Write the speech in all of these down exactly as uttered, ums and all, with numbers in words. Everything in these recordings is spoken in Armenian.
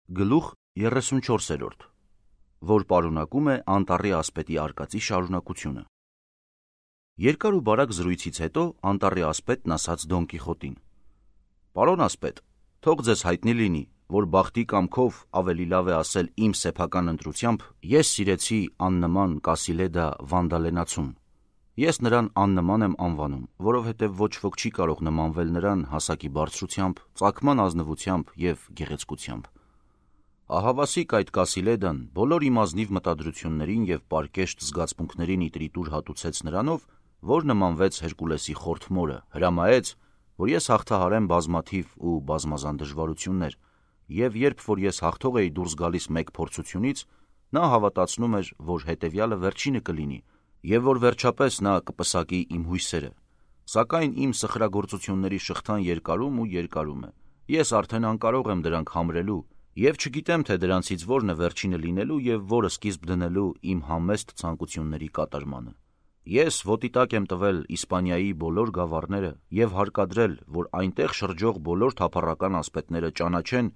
Գլուխ երեսունչորսերորդ, որ պարունակում է անտառի ասպետի արկածի շարունակությունը։ Երկար ու բարակ զրույցից հետո անտառի ասպետն ասաց Դոն Կիխոտին. «Պարոն ասպետ, թող ձեզ հայտնի լինի, որ բախտի կամքով ավելի լավ է ասել իմ սեփական ընտրությամբ, ես սիրեցի աննման Կասիլեդա Վանդալենացուն։ Ես նրան աննման եմ անվանում, որովհետև ոչ ոք չի կարող նմանվել նրան հասակի բարձրությամբ, ծագման ազնվությամբ և գեղեցկությամբ։ Ահավասիկ այդ Կասիլեդան բոլոր իմ ազնիվ մտադրություններին և պարկեշտ զգացմունքներին իտրիտուր հատուցեց նրանով, որ նմանվեց Հերկուլեսի խորթ մորը, հրամայեց, որ ես հաղթահարեմ բազմաթիվ ու բազմազան դժվարություններ, և երբ որ ես հաղթող էի դուրս գալիս մեկ փորձությունից, նա հավատացնում էր, որ հետևյալը վերջինը կլինի, և որ վերջապես նա կպսակի իմ հույսերը։ Սակայն իմ սխրագործությունների շղթան երկարում ու երկարում է, ես արդեն անկարող եմ դրանք համրելու, և չգիտեմ, թե դրանցից որն է վերջինը լինելու և որը սկիզբ դնելու իմ համեստ ցանկությունների կատարմանը։ Ես ոտի տակ եմ տվել Իսպանիայի բոլոր գավառները և հարկադրել, որ այնտեղ շրջող բոլոր թափառական ասպետները ճանաչեն,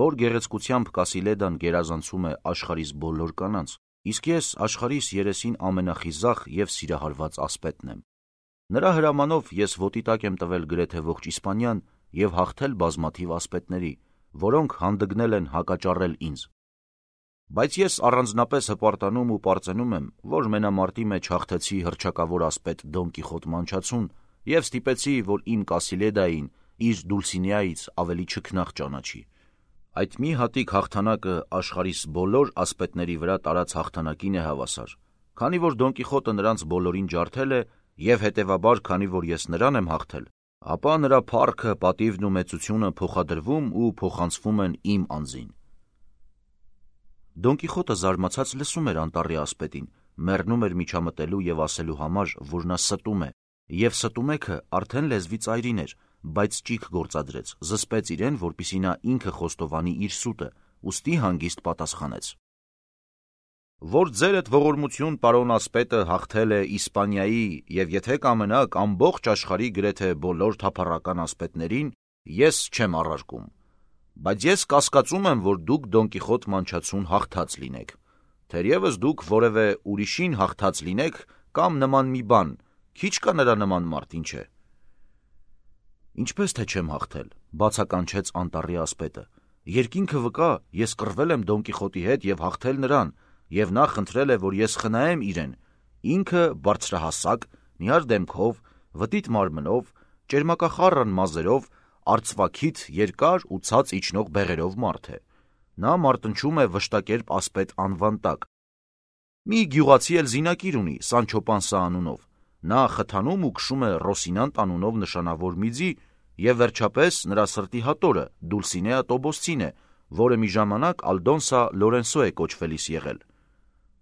որ գեղեցկությամբ Կասիլեդան գերազանցում է աշխարհիս բոլոր կանանց, իսկ ես աշխարհիս երեսին ամենախիզախ և սիրահարված ասպետն եմ։ Նրա հրամանով ես ոտի տակ եմ տվել գրեթե ողջ Իսպանիան և հաղթել բազմաթիվ ասպետների, որոնք հանդգնել են հակաճառել ինձ։ Բայց ես առանձնապես հպարտանում ու պարծենում եմ, որ մենամարտի մեջ հաղթեցի հռչակավոր ասպետ Դոն Կիխոտ Մանչացուն և ստիպեցի, որ իմ Կասիլեդային իր Դուլսինեայից ավելի չքնաղ ճանաչի։ Այդ մի հատիկ հաղթանակը աշխարհիս բոլոր ասպետների վրա տարած հաղթանակին է հավասար, քանի որ Դոն Կիխոտը նրանց բոլորին ջարդել է և հետևաբար, քանի որ ես նրան եմ հաղթել, ապա նրա փառքը, պատիվն ու մեծությունը փոխադրվում ու փոխանցվում են իմ անձին։ Դոն Կիխոտը զարմացած լսում էր անտառի ասպետին, մեռնում էր միջամտելու և ասելու համար, որ նա ստում է, և ստումեքը արդեն լեզվի ծայրին էր, բայց ճիգ գործադրեց, զսպեց իրեն, որպեսզի նա ինքը խոստովանի իր սուտը, ուստի հանգիստ պատասխանեց. «Որ ձերդ ողորմություն, պարոն ասպետը, հաղթել է Իսպանիայի և եթե կամենաք ամբողջ աշխարհի գրեթե բոլոր թափառական ասպետներին, ես չեմ առարկում, բայց ես կասկածում եմ, որ դուք Դոն Կիխոտ Մանչացուն հաղթած լինեք, թերևս դուք որևէ ուրիշին հաղթած լինեք կամ նման մի բան, քիչ կա նրա նման մարդ, ինչ է»։ «Ինչպես թե չեմ հաղթել», բացականչեց անտառի ասպետը, «երկինքը վկա, ես կռվել եմ Դոն Կիխոտի հետ և հաղթել նրան, և նա խնդրել է, որ ես խնայեմ իրեն, ինքը բարձրահասակ, նիհար դեմքով, վտիտ մարմնով, ճերմակախառն մազերով, արծվաքիթ, երկար ու ցած իջնող բեղերով մարդ է։ Նա մարտնչում է վշտակերպ ասպետ անվան տակ։ Մի գյուղացի էլ զինակիր ունի Սանչո Պանսա անունով, նա խթանում ու քշում է Ռոսինանտ անունով նշանավոր մի ձի, և վերջապես նրա սրտի հատորը Դուլսինեա Տոբոսցին է, որը մի ժամանակ Ալդոնսա Լորենսո է կոչվելիս եղել։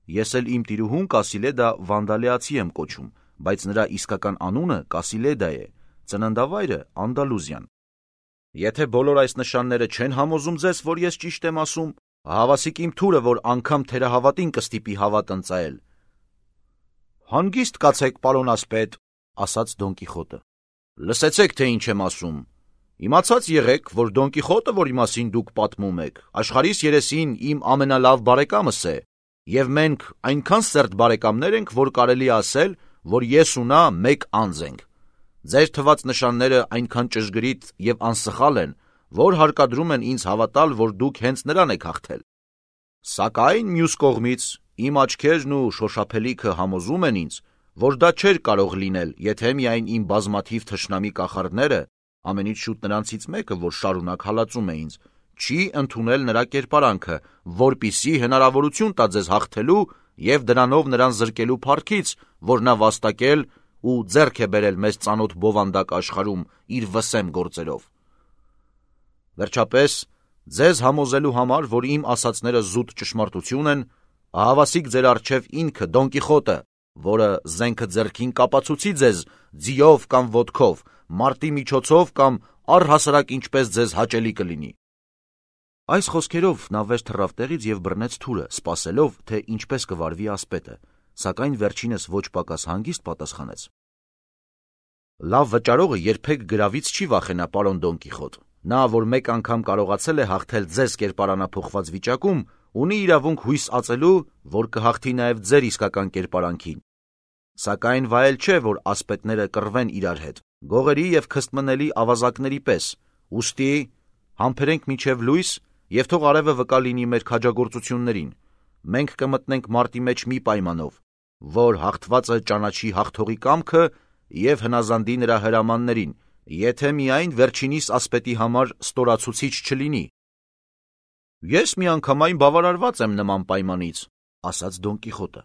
Ես էլ իմ տիրուհուն Կասիլեդա Վանդալեացի եմ կոչում, բայց նրա իսկական անունը Կասիլեդա է, ծննդավայրը Անդալուզիան։ Եթե բոլոր այս նշանները չեն համոզում ձեզ, որ ես ճիշտ եմ ասում, հավասիկ իմ թուրը, որ անգամ թերահավատին կստիպի հավատ ընծայել»։ «Հանգիստ կացեք, պարոն ասպետ», ասաց Դոն Կիխոտը։ «Լսեցեք, թե ինչ եմ ասում։ Իմացած եղեք, որ Դոն Կիխոտը, որի մասին դուք պատմում եք, աշխարհիս երեսին իմ ամենալավ բարեկամս է, և մենք այնքան սերտ բարեկամներ ենք, որ կարելի է ասել, որ ես ու նա մեկ անձ ենք։ Ձեր թված նշանները այնքան ճշգրիտ և անսխալ են, որ հարկադրում են ինձ հավատալ, որ դուք հենց նրան եք հաղթել։ Սակայն մյուս կողմից իմ աչքերն ու շոշափելիքը համոզում են ինձ, որ դա չէր կարող լինել, եթե միայն իմ բազմաթիվ թշնամի կախարդները, ամենից շուտ նրանցից մեկը, որ շարունակ հալածում է ինձ, չի ընդունել նրա կերպարանքը, որպիսի հնարավորություն տա ձեզ հաղթելու և դրանով նրան զրկելու փառքից, որ նա վաստակել ու ձեռք է բերել մեզ ծանոթ բովանդակ աշխարհում իր վսեմ գործերով։ Վերջապես, ձեզ համոզելու համար, որ իմ ասածները զուտ ճշմարտություն են, ահավասիկ ձեր առջև ինքը Դոն Կիխոտը, որը զենքը ձեռքին կապացուցի ձեզ ձիով կամ ոտքով, մարտի միջոցով կամ առհասարակ ինչպես ձեզ հաճելի կլինի։ Այս խոսքերով նա վեր թռավ տեղից և բռնեց թուրը, սպասելով, թե ինչպես կվարվի ասպետը, սակայն վերջինս ոչ պակաս հանգիստ պատասխանեց. «Լավ վճարողը երբեք գրավից չի վախենա, պարոն Դոն Կիխոտ, Նա, որ մեկ անգամ կարողացել է հաղթել ձեզ կերպարանափոխված վիճակում, ունի իրավունք հույս ածելու, որ կհաղթի նաև ձեր իսկական կերպարանքին։ Սակայն վայել չէ, որ ասպետները կռվեն իրար հետ, գողերի և քստմնելի ավազակների պես, ուստի համբերենք մինչև լույս և թող արևը վկա լինի մեր քաջագործություններին։ Մենք կմտնենք մարտի մեջ մի պայմանով, որ հաղթվածը ճանաչի հաղթողի կամքը և հնազանդի նրա հրամաններին, եթե միայն վերջինիս ասպետի համար ստորացուցիչ չլինի։ Ես միանգամայն բավարարված եմ նման պայմանից, ասաց Դոն Կիխոտը։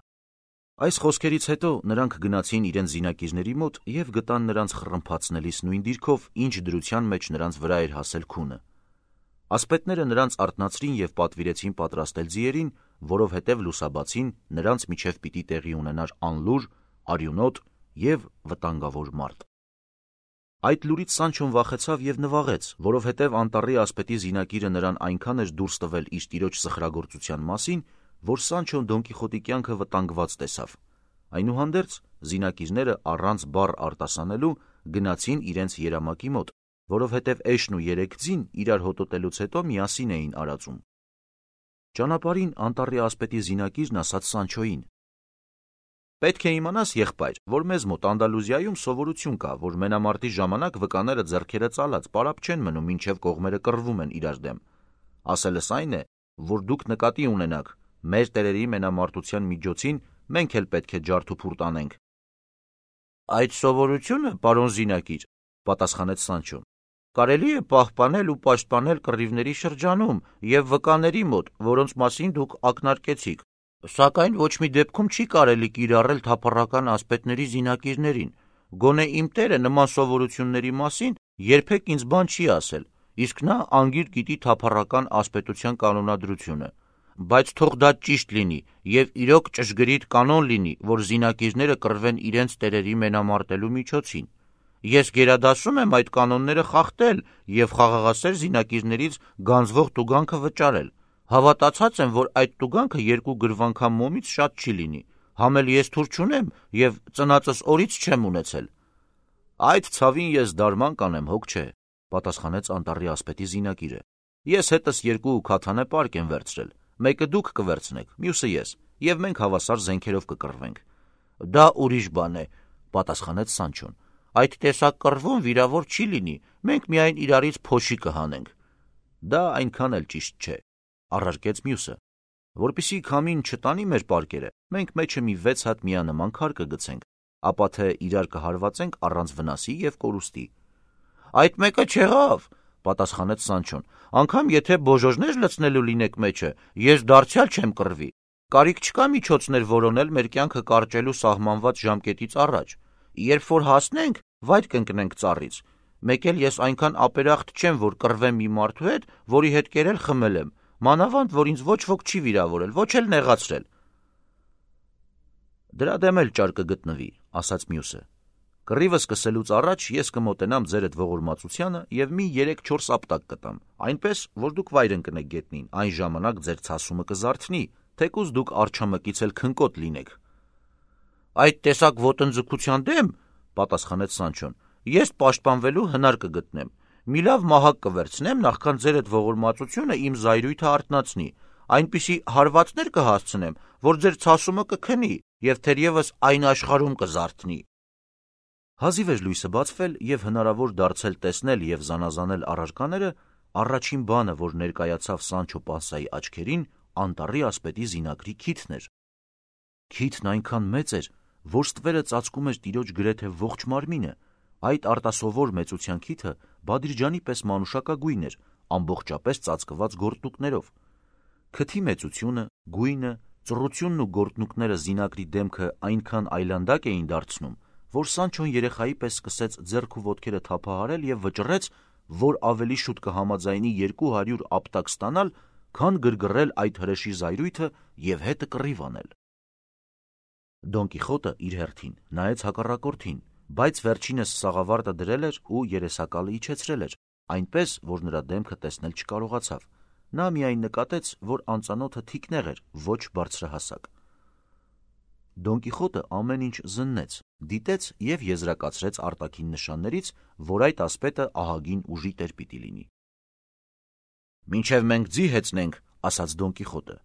Այս խոսքերից հետո նրանք գնացին իրենց զինակիզների մոտ և գտան նրանց խռմփացնելիս նույն դիրքով, ինչ դրության մեջ նրանց վրա էր հասել քունը։ Ասպետները նրանց արթնացրին և պատվիրեցին պատրաստել ձիերին, որովհետև լուսաբացին նրանց միջև պիտի տեղի ունենար անլուր, արյունոտ և վտանգավոր մարտ։ Այդ լուրից Սանչոն վախեցավ և նվաղեց, որովհետև անտառի ասպետի զինակիրը նրան այնքան էր դուրս տվել իր տիրոջ սխրագործության մասին, որ Սանչոն Դոն Կիխոտի կյանքը վտանգված տեսավ։ Այնուհանդերձ զինակիզները առանց բառ արտասանելու գնացին իրենց երամակի մոտ, որովհետև էշն ու երեք ձին իրար հոտոտելուց հետո միասին էին արածում։ Ճանապարհին անտառի ասպետի զինակիրն ասաց Սանչոյին. «Պետք է իմանաս, եղբայր, որ մեզ մոտ Անդալուզիայում սովորություն կա, որ մենամարտի ժամանակ վկաները ձեռքերը ծալած պարապ չեն մնում, մինչև կողմերը կռվում են իրար դեմ։ Ասելս այն է, որ դուք նկատի ունենաք, մեր տերերի մենամարտության միջոցին մենք էլ պետք է ջարդուփուռ տանենք»։ «Այդ սովորությունը, պարոն զինակիր, պատասխանեց Սանչոն, կարելի է պահպանել ու պաշտպանել կռիվների շրջանում և վկաների մոտ, որոնց մասին դուք ակնարկեցիք, սակայն ոչ մի դեպքում չի կարելի կիրառել թափառական ասպետների զինակիրներին։ Գոնե իմ տերը նման սովորությունների մասին երբեք ինձ բան չի ասել, իսկ նա անգիր գիտի թափառական ասպետության կանոնադրությունը։ Բայց թող դա ճիշտ լինի և իրոք ճշգրիտ կանոն լինի, որ զինակիրները կռվեն իրենց տերերի մենամարտելու միջոցին։ Ես գերադասում եմ այդ կանոնները խախտել և խաղաղասեր զինակիրներից գանձվող տուգանքը վճարել։ Հավատացած եմ, որ այդ տուգանքը երկու գրվանքան մոմից շատ չի լինի, համ էլ ես թուր չունեմ և ծնածս օրից չեմ ունեցել»։ «Այդ ցավին ես դարման կանեմ, հոգ չէ», պատասխանեց անտառի ասպետի զինակիրը։ «Ես հետս երկու քաթանե պարկ եմ վերցրել, մեկը դուք կվերցնեք, մյուսը ես, և մենք հավասար զենքերով կկռվենք»։ «Դա ուրիշ բան է», պատասխանեց Սանչոն։ «Այդ տեսակ կռվում վիրավոր չի լինի, մենք միայն իրարից փոշի կհանենք»։ «Դա այնքան էլ ճիշտ չէ», առարկեց մյուսը։ «Որպեսզի քամին չտանի մեր պարկերը, մենք մեջը մի վեց հատ միանման քար կգցենք, ապա թե իրար կհարվածենք առանց վնասի և կորուստի»։ «Այդ մեկը չեղավ», պատասխանեց Սանչոն, «անգամ եթե բոժոժներ լցնելու լինեք մեջը, ես դարձյալ չեմ կռվի։ Կարիք չկա միջոցներ որոնել մեր կյանքը կարճելու սահմանված ժամկետից առաջ։ Երբ որ հասնենք, վայր կընկնենք ծառից։ Մեկ էլ ես այնքան ապերախտ չեմ, որ կռվեմ մի մարդու հետ, որի հետ կերել խմել եմ, մանավանդ որ ինձ ոչ ոք չի վիրավորել, ոչ էլ նեղացրել»։ «Դրա դեմ էլ ճար կգտնվի», ասաց մյուսը։ «Կռիվը սկսելուց առաջ ես կմոտենամ ձերդ ողորմածությանը և մի երեք-չորս ապտակ կտամ, այնպես, որ դուք վայր ընկնեք գետնին, այն ժամանակ ձեր ցասումը կզարթնի, թեկուզ դուք արջամկից էլ քնկոտ լինեք»։ «Այդ տեսակ ոտնձգության դեմ, պատասխանեց Սանչոն, ես պաշտպանվելու հնար կգտնեմ։ Մի լավ մահակ կվերցնեմ, նախքան ձերդ ողորմածությունը իմ զայրույթը արթնացնի, այնպիսի հարվածներ կհասցնեմ, որ ձեր ցասումը կքնի և թերևս այն աշխարհում կզարթնի»։ Հազիվ էր լույսը բացվել և հնարավոր դարձել տեսնել և զանազանել առարկաները, առաջին բանը, որ ներկայացավ Սանչո Պանսայի աչքերին, անտառի ասպետի զինակրի քիթն էր։ Քիթն այնքան մեծ էր, որ ստվերը ծածկում էր տիրոջ գրեթե ողջ մարմինը։ Այդ արտասովոր մեծության քիթը Բադիրջանի պես մանուշակագույն էր, ամբողջապես ծածկված գորտնուկներով։ Քթի մեծությունը, գույնը, ծռությունն ու գորտնուկները զինակրի դեմքը այնքան այլանդակ էին դարձնում, որ Սանչոն երեխայի պես սկսեց ձեռք ու ոտքերը թափահարել և վճռեց, որ ավելի շուտ կհամաձայնի երկու հարյուր ապտակ ստանալ, քան գրգռել այդ հրեշի զայրույթը և հետը կռիվ անել։ Դոն Կիխոտը իր հերթին նայեց հակառակորդին, բայց վերջինս սաղավարտը դրել էր ու երեսակալը իջեցրել էր, այնպես, որ նրա դեմքը տեսնել չկարողացավ։ Նա միայն նկատեց, որ անծանոթը թիկնեղ էր, ոչ բարձրահասակ։ Դոն Կիխոտը ամեն ինչ զննեց, դիտեց և եզրակացրեց արտաքին նշաններից, որ այդ ասպետը ահագին ուժի տեր պիտի լինի։ Մինչև մենք ձի հեծնենք, ասաց Դոն Կիխոտը։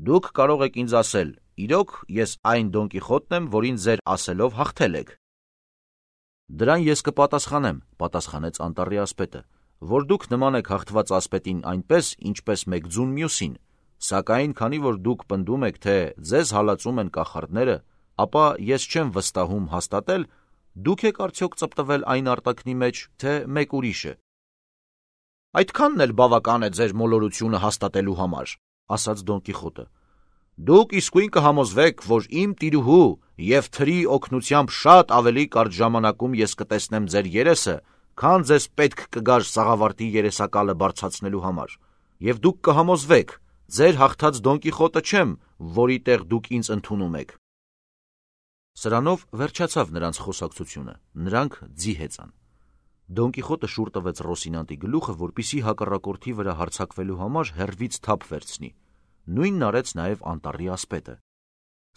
Դուք կարող եք ինձ ասել, իրոք ես այն Դոն Կիխոտն եմ, որին ձեր ասելով հաղթել եք։ Դրան ես կպատասխանեմ, պատասխանեց անտառի ասպետը, որ դուք նման եք հաղթված ասպետին այնպես, ինչպես մեկ ձուն մյուսին, սակայն քանի որ դուք պնդում եք, թե ձեզ հալածում են կախարդները, ապա ես չեմ վստահում հաստատել, դուք եք արդյոք ծպտվել այն արտաքնի մեջ, թե մեկ ուրիշը։ Այդքանն էլ բավական է ձեր մոլորությունը հաստատելու համար, ասաց Դոն Կիխոտը։ Դուք իսկույն կհամոզվեք, որ իմ տիրուհու և թրի օգնությամբ շատ ավելի կարճ ժամանակում ես կտեսնեմ ձեր երեսը, քան ձեզ պետք կգար սաղավարտի երեսակալը բարձրացնելու համար, և դուք կհամոզվեք, ձեր հաղթած Դոն Կիխոտը չեմ, որի տեղ դուք ինձ ընդունում եք։ Սրանով վերջացավ նրանց խոսակցությունը, նրանք ձի հեծան։ Դոն Կիխոտը շուռ տվեց Ռոսինանտի գլուխը, որպեսզի հակառակորդի վրա հարձակվելու համար հեռվից թափ վերցնի։ Նույնն արեց նաև անտառի ասպետը։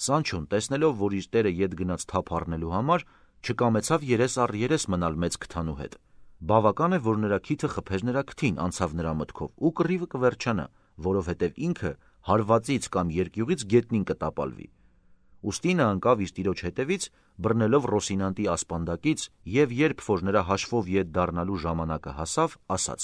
Սանչոն, տեսնելով, որ իր տերը ետ գնաց թափ առնելու համար, չկամեցավ երես առ երես մնալ մեծ քթանու հետ։ Բավական է, որ նրա քիթը խփեր նրա քթին, անցավ նրա մտքով, ու կռիվը կվերջանա, որովհետև ինքը հարվածից կամ երկյուղից գետնին կտապալվի։ Ուստի նա ընկավ իր տիրոջ հետևից, բռնելով Ռոսինանտի ասպանդակից, և երբ որ նրա հաշվով ետ դառնալու ժամանակը հասավ, ասաց.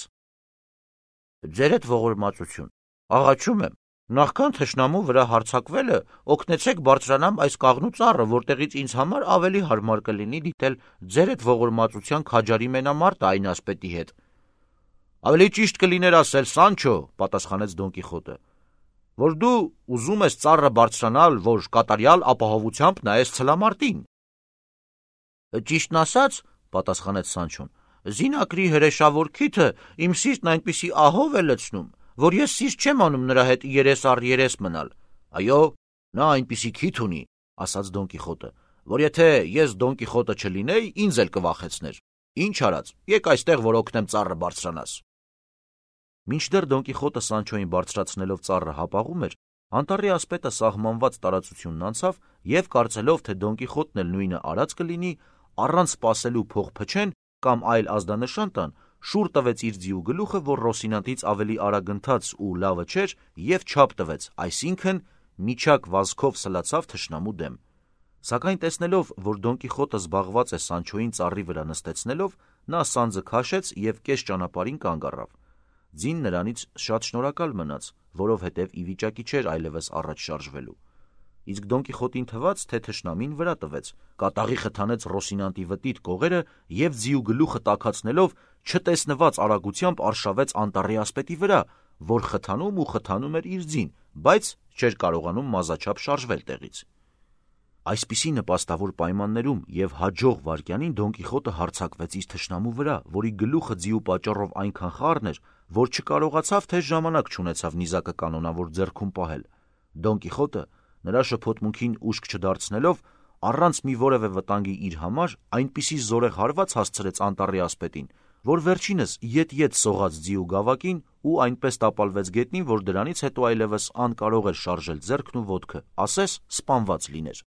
Ձերդ ողորմածություն, աղաչում եմ, նախքան թշնամու վրա հարձակվելը, օգնեցեք բարձրանամ այս կաղնու ծառը, որտեղից ինձ համար ավելի հարմար կլինի դիտել ձերդ ողորմածության քաջարի մենամարտը այն ասպետի հետ։ Ավելի ճիշտ կլիներ ասել, Սանչո, պատասխանեց Դոն Կիխոտը, որ դու ուզում ես ծառը բարձրանալ, որ կատարյալ ապահովությամբ նայես ցլամարտին։ Ճիշտն ասած, պատասխանեց Սանչոն, զինակրի հրեշավոր քիթը իմ սիրտն այնպիսի ահով է լցնում, որ ես սիրտ չեմ անում նրա հետ երես առ երես մնալ։ Այո, նա այնպիսի քիթ ունի, ասաց Դոն Կիխոտը, որ եթե ես Դոն Կիխոտը չլինեի, ինձ էլ կվախեցներ։ Ինչ արած, եկ այստեղ, որ օգնեմ ծառը բարձրանաս։ Մինչդեռ Դոն Կիխոտը Սանչոյին բարձրացնելով ծառը հապաղում էր, անտառի ասպետը սահմանված տարածությունն անցավ և կարծելով, թե Դոն Կիխոտն էլ նույնը արած կլինի, առանց սպասելու փող փչեն կամ այլ ազդանշան տան, շուռ տվեց իր ձիու գլուխը, որ Ռոսինանտից ավելի արագ ընթաց ու լավը չէր, և չափ տվեց, այսինքն միջակ վազքով սլացավ թշնամու դեմ։ Սակայն տեսնելով, որ Դոն Կիխոտը զբաղված է Սանչոյին ծառի վրա նստեցնելով, նա սանձը քաշեց և կես ճանապարհին կանգ առավ։ Ձին նրանից շատ շնորհակալ մնաց, որովհետև ի վիճակի չէր այլևս առաջ շարժվելու։ Իսկ Դոն Կիխոտին թվաց, թե թշնամին վրա տվեց, կատաղի խթանեց Ռոսինանտի վտիտ կողերը և ձիու գլուխը տաքացնելով չտեսնված արագությամբ արշավեց անտառի ասպետի վրա, որ խթանում ու խթանում էր իր ձին, բայց չէր կարողանում մազաչափ շարժվել տեղից։ Այսպիսի նպաստավոր պայմաններում և հաջող վայրկյանին Դոն Կիխոտը հարձակվեց իր թշնամու վրա, որի գլուխը ձիու պատճառով այնքան խառն էր, որ չկարողացավ թե ժամանակ չունեցավ նիզակը կանոնավոր ձեռքում պահել։ Դոն Կիխոտը, նրա շփոթմունքին ուշք չդարձնելով, առանց մի որևէ վտանգի իր համար, այնպիսի զորեղ հարված հասցրեց անտառի ասպետին, որ վերջինս ետ-ետ սողաց ձիու գավակին ու այնպես տապալվեց գետնին, որ դրանից հետո այլևս անկարող էր շարժել ձեռքն ու ոտքը, ասես սպանված լիներ։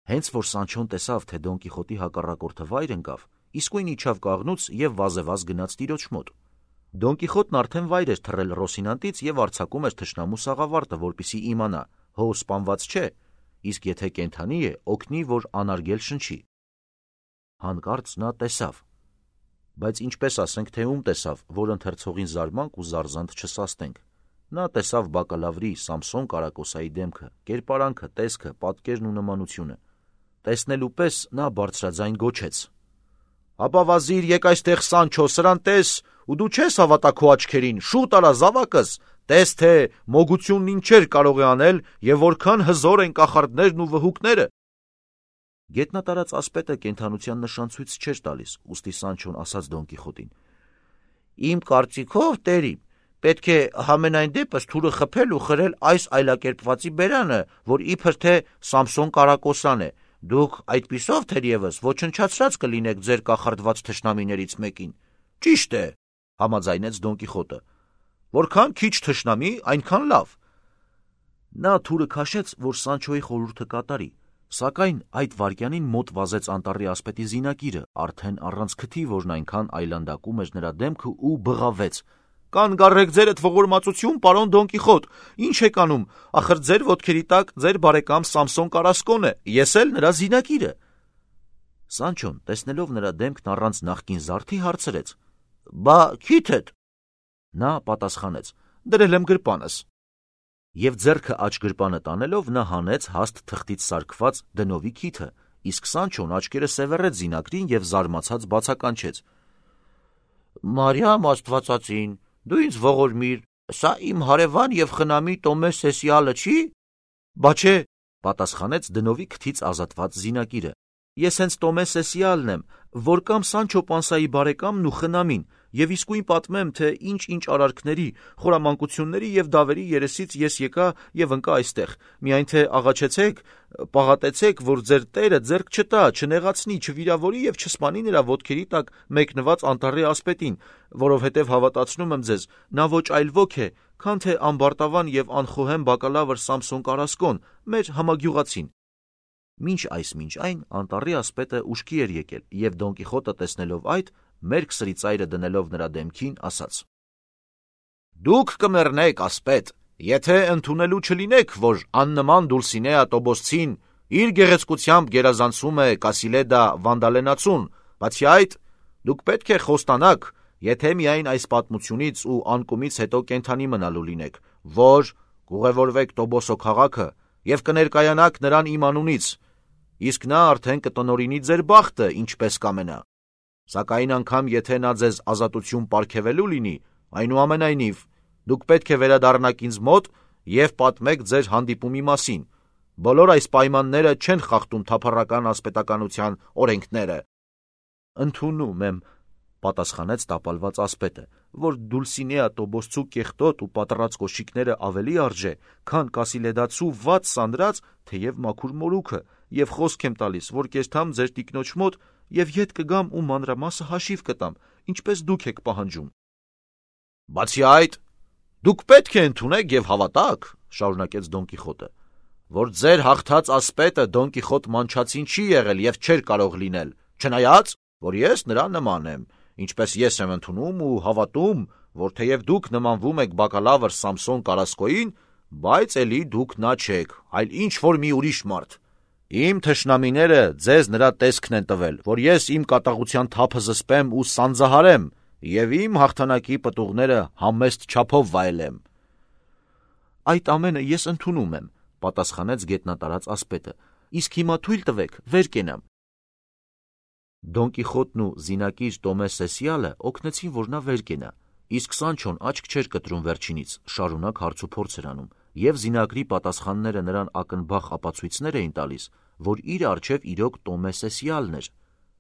Հենց որ Սանչոն տեսավ, թե Դոն Կիխոտի հակառակորդը վայր ընկավ, իսկույն իջավ կաղնուց և վազևազ գնաց տիրոջ մոտ։ Դոն Կիխոտն արդեն վայր էր թռել Ռոսինանտից և արձակում էր թշնամու սաղավարտը, որպեսզի իմանա, հո սպանված չէ, իսկ եթե կենդանի է, օգնի, որ անարգել շնչի։ Հանկարծ նա տեսավ, բայց ինչպես ասենք, թե ում տեսավ, որ ընթերցողին զարմանք ու զարզանց չսաստենք։ Նա տեսավ բակալավրի Սամսոն Կարակոսայի դեմքը, կերպարանքը, տեսքը, պատկերն ու նմանությունը։ Տեսնելու պես նա բարձրաձայն գոչեց. Ապա վազիր, եկ այստեղ Սանչո, սրան տես, ու դու չես հավատա քո աչքերին, շուտ արա զավակս, տես թե մոգությունն ինչեր կարող է անել և որքան հզոր են կախարդներն ու վհուկները։ Գետնատարած ասպետը կենդանության նշան ցույց չէր տալիս, ուստի Սանչոն ասաց Դոն Կիխոտին. Իմ կարծիքով, տերիմ, պետք է համենայն դեպս թուրը խփել ու խրել այս այլակերպվածի բերանը, որ իբր թե Սամսոն Կարակոսան է։ Դուք այդպիսով թերևս ոչնչացրած կլինեք ձեր կախարդված թշնամիներից մեկին։ Ճիշտ է, համաձայնեց Դոն Կիխոտը։ Որքան քիչ թշնամի, այնքան լավ։ Նա թուրը քաշեց, որ Սանչոյի խորհուրդը կատարի, սակայն այդ վայրկյանին մոտ վազեց անտառի ասպետի զինակիրը, արդեն առանց քթի, որն այնքան այլանդակում էր նրա դեմքը, ու բղավեց. Կանգառեք ձերդ ողորմածություն, պարոն Դոն Կիխոտ, ինչ եք անում, ախր ձեր ոտքերի տակ ձեր բարեկամ Սամսոն Կարասկոն է, ես էլ նրա զինակիրը։ Սանչոն, տեսնելով նրա դեմքն առանց նախկին զարդի, հարցրեց. Բա քիթդ։ Նա պատասխանեց. Դրել եմ գրպանս։ Եվ ձեռքը աջ գրպանը տանելով նա հանեց հաստ թղթից սարքված դնովի քիթը, իսկ Սանչոն աչքերը սևեռեց զինակրին եւ զարմացած բացականչեց. Մարիամ Աստվածածին, դու ինձ ողորմիր, սա իմ հարևան եւ խնամի Տոմե Սեսիալը չի։ Բա չէ, պատասխանեց դնովի քթից ազատված զինակիրը։ Ես հենց Տոմե Սեսիալն եմ, որ կամ Սանչո Պանսայի բարեկամն ու խնամին, եւ իսկույն պատմեմ, թե ինչ-ինչ արարքների, խորամանկությունների եւ դավերի երեսից ես եկա եւ ընկա այստեղ, միայն թե աղաչեցեք, պաղատեցեք, որ ձեր Տերը ձեռք չտա, չնեղացնի, չվիրավորի եւ չսպանի նրա ոտքերի տակ մեկնված անտառի ասպետին, որովհետեւ հավատացնում եմ ձեզ, նա ոչ այլ ոք է, քան թե ամբարտավան եւ անխոհեմ բակալավր Սամսոն Կարասկոն, մեր համագյուղացին։ Մինչ այս մինչ այն անտառի ասպետը ուշքի էր եկել, եւ Դոն Կիխոտը տեսնելով այդ, մերկ սրիծայրը դնելով նրա դեմքին, ասաց. Դուք կմեռնեք, ասպետ, եթե ընդունելու չլինեք, որ աննման Դուլսինեա Տոբոսցին իր գեղեցկությամբ գերազանցում է Կասիլեդա Վանդալենացուն, բացի այդ, դուք պետք է խոստանաք, եթե միայն այս պատմությունից ու անկումից հետո կենթանի մնալու լինեք, որ կուղևորվեք Տոբոսո քաղաքը եւ կներկայանաք նրան իմ անունից, իսկ նա արդեն կտնօրինի ձեր բախտը, ինչպես կամենա։ Սակայն անգամ եթե նա ձեզ ազատություն պարգևելու լինի, այնուամենայնիվ, դուք պետք է վերադառնաք ինձ մոտ եւ պատմեք ձեր հանդիպումի մասին։ Բոլոր այս պայմանները չեն խախտում թափառական ասպետականության օրենքները։ Ընդունում եմ, պատասխանեց տապալված ասպետը, որ Դուլսինեա Տոբոսցու կեղտոտ ու պատռած կոշիկները ավելի արժե, քան Կասիլեդացու վատ սանդրած, թեև մաքուր մորուքը, եւ խոսք եմ տալիս, որ կեստամ ձեր տիկնոջ մոտ եւ ետ կգամ ու մանրամասը հաշիվ կտամ, ինչպես դուք եք պահանջում։ Բացի այդ, դուք պետք է ընդունեք եւ հավատաք, շարունակեց Դոն Կիխոտը, որ ձեր հաղթած ասպետը Դոն Կիխոտ Մանչացին չի եղել եւ չէր կարող լինել, չնայած, որ ես նրա նման եմ, ինչպես ես եմ ընդունում ու հավատում, որ թեև դուք նմանվում եք բակալավր Սամսոն Կարասկոյին, բայց էլի դուք նա չեք, այլ ինչ որ մի ուրիշ մարդ։ Իմ թշնամիները ձեզ նրա տեսքն են տվել, որ ես իմ կատաղության թափը զսպեմ ու սանձահարեմ եւ իմ հաղթանակի պտուղները համեստ չափով վայելեմ։ Այդ ամենը ես ընդունում եմ, պատասխանեց գետնատարած ասպետը, իսկ հիմա թույլ տվեք, վեր կենամ։ Դոն Կիխոտն ու զինակիր Տոմե Սեսիալը օգնեցին, որ նա վեր կենա, իսկ Սանչոն աչք չէր կտրում վերջինից, շարունակ հարցուփորձ էր անում, եւ զինակրի պատասխանները նրան ակնբախ ապացույցներ էին տալիս, որ իր առջև իրոք Տոմե Սեսիալն էր,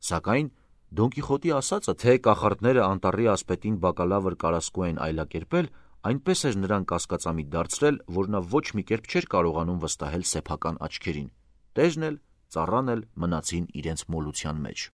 սակայն Դոն Կիխոտի ասածը, թե կախարդները անտառի ասպետին բակալավր Կարասկո են այլակերպել, այնպես էր նրան կասկածամիտ դարձրել, որ նա ոչ մի կերպ չէր կարողանում վստահել սեփական աչքերին։ Տերն էլ, ծառան էլ մնացին իրենց մոլության մեջ։